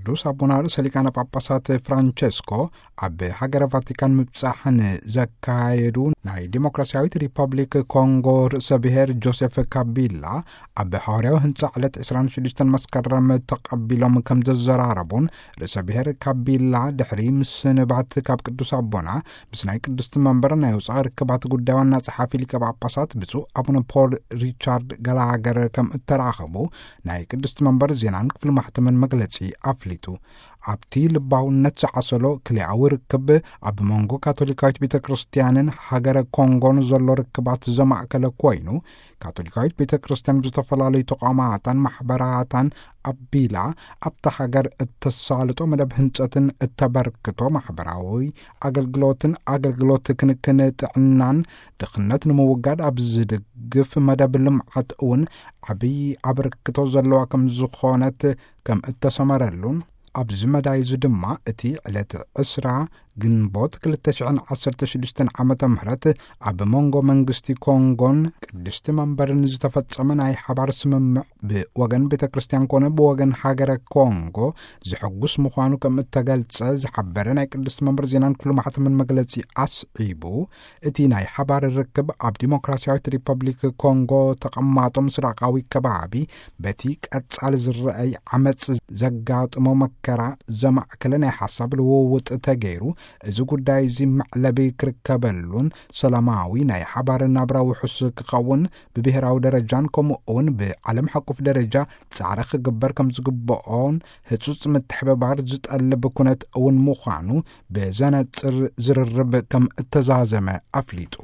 ቅዱስ ኣቦና ርእሰ ሊቃነ ጳጳሳት ፍራንቸስኮ ኣብ ሃገረ ቫቲካን ምብጻሕ ንዘካየዱ ናይ ዲሞክራሲያዊት ሪፐብሊክ ኮንጎ ርእሰ ብሔር ጆሴፍ ካቢላ ኣብ ሃዋርያዊ ህንጻ ዕለት ዕስራን ሽዱሽተን መስከረም ተቐቢሎም ከም ዘዘራረቡን፣ ርእሰ ብሔር ካቢላ ድሕሪ ምስንባት ካብ ቅዱስ ኣቦና ምስ ናይ ቅድስቲ መንበር ናይ ወጻኢ ርክባት ጉዳይ ዋና ጸሓፊ ሊቀ ጳጳሳት ብፁዕ ኣቡነ ፖል ሪቻርድ ገላገር ከም እተራኸቡ ናይ ቅድስቲ መንበር ዜናን ክፍሊ ማሕተምን መግለጺ ኣፍሊጡ። ኣብቲ ልባውነት ዝዓሰሎ ክልኣዊ ርክብ ኣብ መንጎ ካቶሊካዊት ቤተ ክርስቲያንን ሃገረ ኮንጎን ዘሎ ርክባት ዘማእከለ ኮይኑ፣ ካቶሊካዊት ቤተ ክርስቲያን ብዝተፈላለዩ ተቋማታን ማሕበራታን ኣቢላ ኣብታ ሃገር እተሳልጦ መደብ ህንጸትን እተበርክቶ ማሕበራዊ ኣገልግሎትን ኣገልግሎት ክንክን ጥዕናን ድኽነት ንምውጋድ ኣብ ዝድግፍ መደብ ልምዓት እውን ዓብዪ ኣበርክቶ ዘለዋ ከም ዝኾነት ከም እተሰመረሉን፣ ኣብዚ መዳይ እዚ ድማ እቲ ዕለት ዕስራ ግንቦት ክልተ ሽሕን ዓሰርተ ሽዱሽተን ዓመተ ምህረት ኣብ መንጎ መንግስቲ ኮንጎን ቅድስቲ መንበርን ዝተፈጸመ ናይ ሓባር ስምምዕ ብወገን ቤተ ክርስቲያን ኮነ ብወገን ሃገረ ኮንጎ ዝሕጉስ ምዃኑ ከም እተገልጸ ዝሓበረ ናይ ቅድስቲ መንበር ዜናን ክፍሊ ማሕተምን መግለጺ ኣስዒቡ፣ እቲ ናይ ሓባር ርክብ ኣብ ዲሞክራሲያዊት ሪፐብሊክ ኮንጎ ተቐማጦ ምስራቃዊ ከባቢ በቲ ቀጻሊ ዝረኣይ ዓመጽ ዘጋጥሞ መከራ ዘማእከለ ናይ ሓሳብ ልውውጥ ተገይሩ፣ እዚ ጉዳይ እዚ መዕለቢ ክርከበሉን ሰላማዊ ናይ ሓባር ናብራ ውሑስ ክኸውን ብብሔራዊ ደረጃን ከምኡ እውን ብዓለም ሓቁፍ ደረጃ ጻዕሪ ክግበር ከም ዝግብኦን ህጹጽ ምትሕብባር ዝጠልብ ኩነት እውን ምዃኑ ብዘነጽር ዝርርብ ከም እተዛዘመ ኣፍሊጡ።